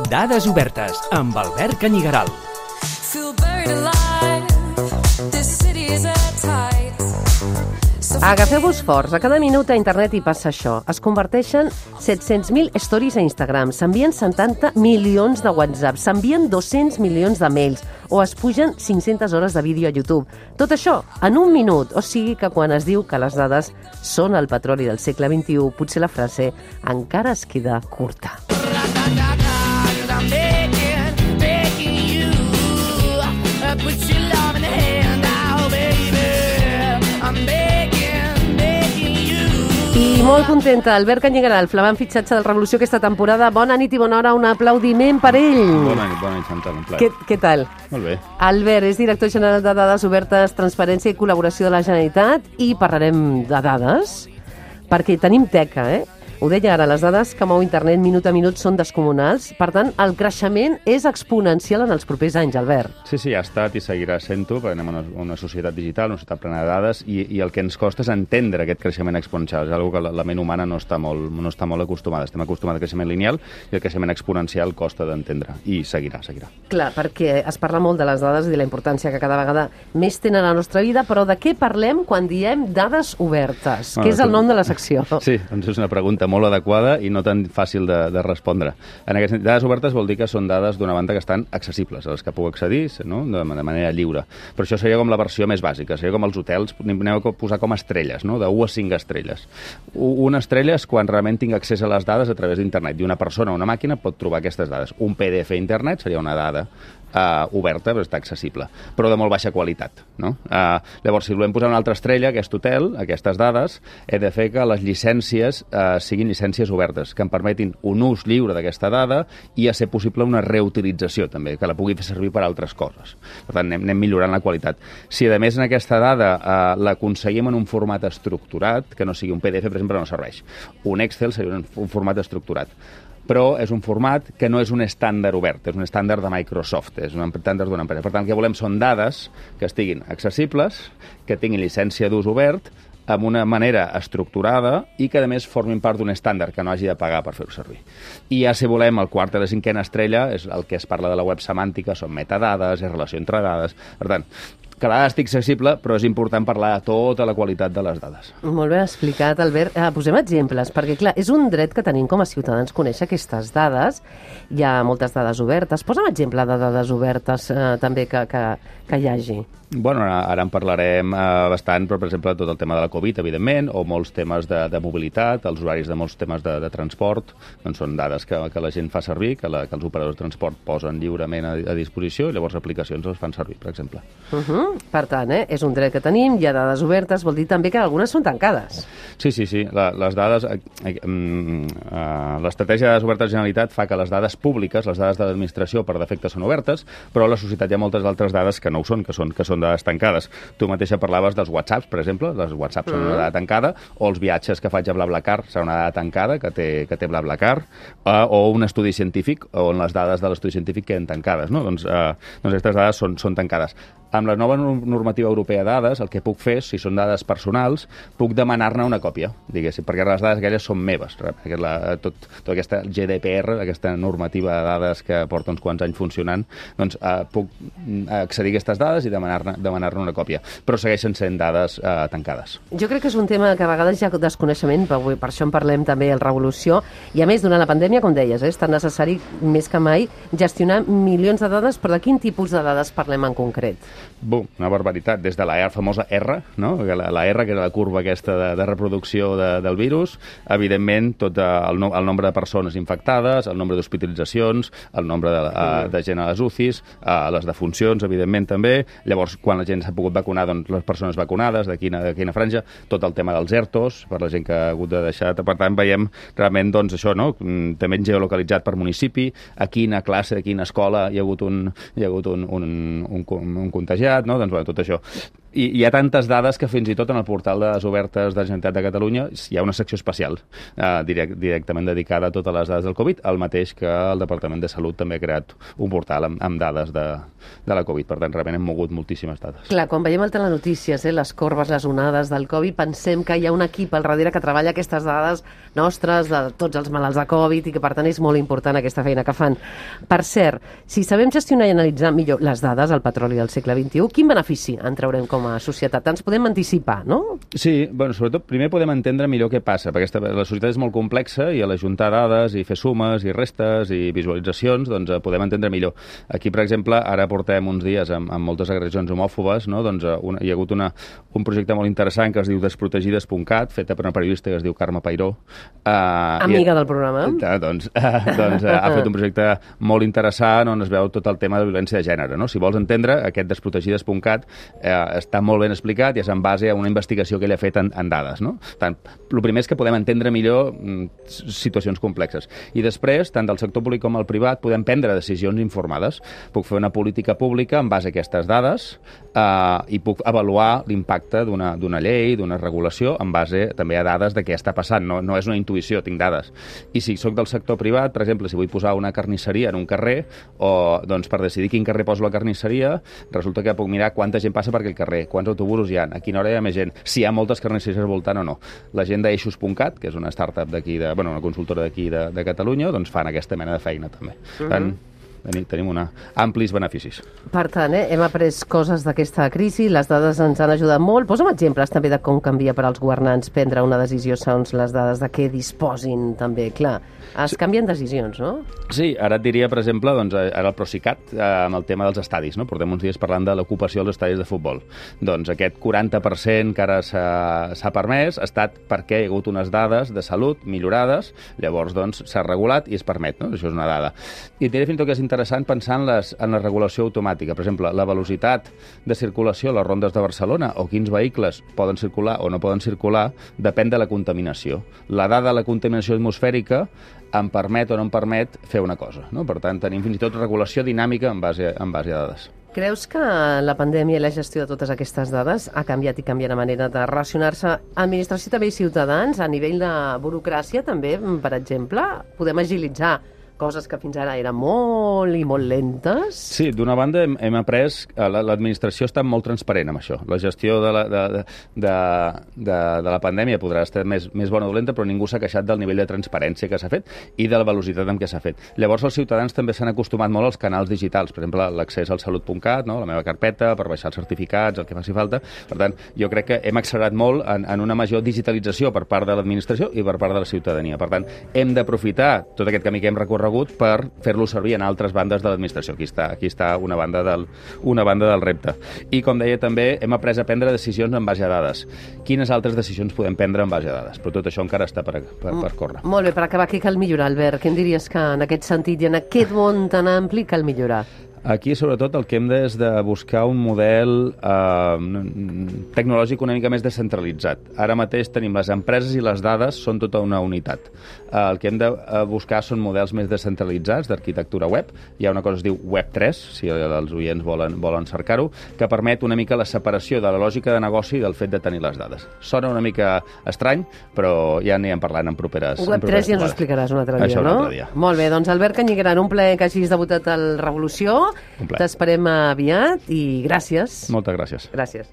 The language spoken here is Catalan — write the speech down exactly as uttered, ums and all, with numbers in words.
Dades obertes amb Albert Canyigaral. Agafeu-vos forts. A cada minut a internet hi passa això. Es converteixen set-cents mil stories a Instagram, s'envien setanta milions de WhatsApp, s'envien dos-cents milions de mails o es pugen cinc-centes hores de vídeo a YouTube. Tot això en un minut. O sigui que quan es diu que les dades són el petroli del segle vint-i-u, potser la frase encara es queda curta. I molt contenta, Albert Canyigaral, flamant fitxatge del Revolució aquesta temporada. Bona nit i bona hora, un aplaudiment per ell. Bona nit, bona nit, Chantal, un plaer. Què, què tal? Molt bé. Albert és director general de Dades Obertes, Transparència i Col·laboració de la Generalitat i parlarem de dades, perquè tenim teca, eh? Ho deia ara, les dades que mou internet minut a minut són descomunals. Per tant, el creixement és exponencial en els propers anys, Albert. Sí, sí, ha estat i seguirà sent-ho, perquè anem a una, una societat digital, una societat plena de dades, i, i el que ens costa és entendre aquest creixement exponencial. És una cosa que la, la ment humana no està, molt, no està molt acostumada. Estem acostumats al creixement lineal i el creixement exponencial costa d'entendre. I seguirà, seguirà. Clar, perquè es parla molt de les dades i de la importància que cada vegada més tenen a la nostra vida, però de què parlem quan diem dades obertes? Bueno, que és el nom de la secció. Sí, doncs és una pregunta molt adequada i no tan fàcil de, de respondre. En aquest sentit, dades obertes vol dir que són dades d'una banda que estan accessibles, a les que puc accedir, no? de, de manera lliure. Però això seria com la versió més bàsica, seria com els hotels, anem a posar com estrelles, no? de u a cinc estrelles. Una estrella és quan realment tinc accés a les dades a través d'internet, i una persona o una màquina pot trobar aquestes dades. Un P D F a internet seria una dada Uh, oberta, però està accessible, però de molt baixa qualitat. No? Uh, llavors, si volem posar una altra estrella, aquest hotel, aquestes dades, he de fer que les llicències uh, siguin llicències obertes, que em permetin un ús lliure d'aquesta dada i, a ser possible, una reutilització, també, que la pugui fer servir per a altres coses. Per tant, anem, anem millorant la qualitat. Si, a més, en aquesta dada uh, l'aconseguim en un format estructurat, que no sigui un P D F, per exemple, no serveix. Un Excel seria un, un format estructurat. Però és un format que no és un estàndard obert, és un estàndard de Microsoft, és un estàndard d'una empresa. Per tant, el que volem són dades que estiguin accessibles, que tinguin llicència d'ús obert, amb una manera estructurada i que, a més, formin part d'un estàndard que no hagi de pagar per fer-ho servir. I ja, si volem, el quart i la cinquena estrella és el que es parla de la web semàntica, són metadades, és relació entre dades. Per tant, que la dada estigui accessible, però és important parlar de tota la qualitat de les dades. Molt ben explicat, Albert. Eh, posem exemples, perquè, clar, és un dret que tenim com a ciutadans conèixer aquestes dades. Hi ha moltes dades obertes. Posa'm exemple de dades obertes eh, també que, que, que hi hagi. Bueno, ara en parlarem eh, bastant, però, per exemple, tot el tema de la Covid, evidentment, o molts temes de, de mobilitat, els horaris de molts temes de, de transport, doncs són dades que, que la gent fa servir, que, la, que els operadors de transport posen lliurement a, a disposició, i llavors aplicacions els fan servir, per exemple. Uh -huh. Per tant, eh, és un dret que tenim, hi ha dades obertes, vol dir també que algunes són tancades. Sí, sí, sí. La, les dades... Eh, eh, eh, l'estratègia de dades obertes de la Generalitat fa que les dades públiques, les dades de l'administració, per defecte són obertes, però a la societat hi ha moltes altres dades que no ho són, que són, que són dades tancades. Tu mateixa parlaves dels WhatsApps, per exemple, les WhatsApps mm. són una dada tancada, o els viatges que faig a BlaBlaCar serà una dada tancada que té, que té BlaBlaCar, eh, o un estudi científic on les dades de l'estudi científic queden tancades, no? Doncs, eh, doncs aquestes dades són, són tancades. Amb la nova normativa europea de dades, el que puc fer, si són dades personals, puc demanar-ne una còpia, diguéssim, perquè les dades aquelles són meves. La, tot, tota aquesta G D P R, aquesta normativa de dades que porta uns quants anys funcionant, doncs eh, puc accedir a aquestes dades i demanar-ne demanar una còpia, però segueixen sent dades eh, tancades. Jo crec que és un tema que a vegades hi ha desconeixement, per, per això en parlem també al Revolució, i a més, durant la pandèmia, com deies, eh, és tan necessari més que mai gestionar milions de dades, però de quin tipus de dades parlem en concret? Bum, una barbaritat, des de la famosa R, no? la, la R, que era la curva aquesta de, de reproducció de, del virus, evidentment tot el, no, el nombre de persones infectades, el nombre d'hospitalitzacions, el nombre de, mm. de gent a les U C Is, a les defuncions, evidentment també, llavors quan la gent s'ha pogut vacunar, doncs les persones vacunades, de quina, de quina franja, tot el tema dels ERTOs, per la gent que ha hagut de deixar, per tant veiem realment doncs això, no? També geolocalitzat per municipi, a quina classe, a quina escola hi ha hagut un, hi ha hagut un, un, un, un contagiat, no? Doncs, bueno, tot això. I hi ha tantes dades que fins i tot en el portal de les obertes de la Generalitat de Catalunya hi ha una secció especial eh, direct, directament dedicada a totes les dades del Covid, el mateix que el Departament de Salut també ha creat un portal amb, amb dades de, de la Covid. Per tant, realment hem mogut moltíssimes dades. Clar, quan veiem el telenotícies, eh, les corbes, les onades del Covid, pensem que hi ha un equip al darrere que treballa aquestes dades nostres de tots els malalts de Covid i que, per tant, és molt important aquesta feina que fan. Per cert, si sabem gestionar i analitzar millor les dades del petroli del segle vint-i-u, quin benefici en traurem com a societat? Ens podem anticipar, no? Sí, bueno, sobretot primer podem entendre millor què passa, perquè esta, la societat és molt complexa i a l'ajuntar dades i fer sumes i restes i visualitzacions, doncs eh, podem entendre millor. Aquí, per exemple, ara portem uns dies amb, amb moltes agressions homòfobes, no? Doncs eh, una, hi ha hagut una, un projecte molt interessant que es diu desprotegides punt cat, feta per una periodista que es diu Carme Pairó. Eh, Amiga i, del programa. Eh, doncs eh, doncs eh, ha fet un projecte molt interessant on es veu tot el tema de violència de gènere, no? Si vols entendre, aquest desprotegides punt cat eh, està molt ben explicat i és en base a una investigació que ell ha fet en, en dades, no? Tant, el primer és que podem entendre millor mm, situacions complexes. I després, tant del sector públic com el privat, podem prendre decisions informades. Puc fer una política pública en base a aquestes dades eh, i puc avaluar l'impacte d'una d'una llei, d'una regulació, en base també a dades de què està passant. No, no és una intuïció, tinc dades. I si sóc del sector privat, per exemple, si vull posar una carnisseria en un carrer, o doncs per decidir quin carrer poso la carnisseria, resulta que puc mirar quanta gent passa per aquell carrer, quants autobusos hi ha, a quina hora hi ha més gent, si hi ha moltes carnisseries al voltant o no. La gent d'Eixos punt cat, que és una startup d'aquí, de, bueno, una consultora d'aquí de, de Catalunya, doncs fan aquesta mena de feina també. Uh-huh. Tant, tenim, tenim una, amplis beneficis. Per tant, eh, hem après coses d'aquesta crisi, les dades ens han ajudat molt. Posa'm exemples també de com canvia per als governants prendre una decisió segons les dades de què disposin també. Clar, es canvien decisions, no? Sí, ara et diria, per exemple, doncs, ara el Procicat, eh, amb el tema dels estadis, no? Portem uns dies parlant de l'ocupació dels estadis de futbol. Doncs aquest quaranta per cent que ara s'ha permès ha estat perquè hi ha hagut unes dades de salut millorades, llavors doncs s'ha regulat i es permet, no? Això és una dada. I et diré fins i tot que és interessant pensar en, les, en la regulació automàtica. Per exemple, la velocitat de circulació a les rondes de Barcelona o quins vehicles poden circular o no poden circular depèn de la contaminació. La dada de la contaminació atmosfèrica em permet o no em permet fer una cosa, no? Per tant, tenim fins i tot regulació dinàmica en base, en base a dades. Creus que la pandèmia i la gestió de totes aquestes dades ha canviat i canvia la manera de relacionar-se administració també i ciutadans a nivell de burocràcia també, per exemple? Podem agilitzar coses que fins ara eren molt i molt lentes? Sí, d'una banda hem, hem après que l'administració està molt transparent amb això. La gestió de la, de, de, de, de, de la pandèmia podrà estar més, més bona o dolenta, però ningú s'ha queixat del nivell de transparència que s'ha fet i de la velocitat amb què s'ha fet. Llavors els ciutadans també s'han acostumat molt als canals digitals, per exemple, l'accés al salut punt cat, no? La meva carpeta, per baixar els certificats, el que faci falta. Per tant, jo crec que hem accelerat molt en, en una major digitalització per part de l'administració i per part de la ciutadania. Per tant, hem d'aprofitar tot aquest camí que hem recorregut per fer-lo servir en altres bandes de l'administració. Aquí està, aquí està una banda del, una banda del repte. I, com deia, també hem après a prendre decisions en base a dades. Quines altres decisions podem prendre en base a dades? Però tot això encara està per, per, per córrer. Molt bé, per acabar, què cal millorar, Albert? Què em diries que en aquest sentit i en aquest món tan ampli cal millorar? Aquí, sobretot, el que hem de és de buscar un model eh, tecnològic una mica més descentralitzat. Ara mateix tenim les empreses i les dades són tota una unitat. Eh, el que hem de buscar són models més descentralitzats d'arquitectura web. Hi ha una cosa que es diu web tres, si els oients volen, volen cercar-ho, que permet una mica la separació de la lògica de negoci del fet de tenir les dades. Sona una mica estrany, però ja anirem parlant en properes... web tres ja ens ho explicaràs un altre dia, Això no? un altre dia. Molt bé, doncs Albert Canyigaran, un plaer que hagis debutat al Revolució. T'esperem aviat i gràcies. Moltes gràcies. Gràcies.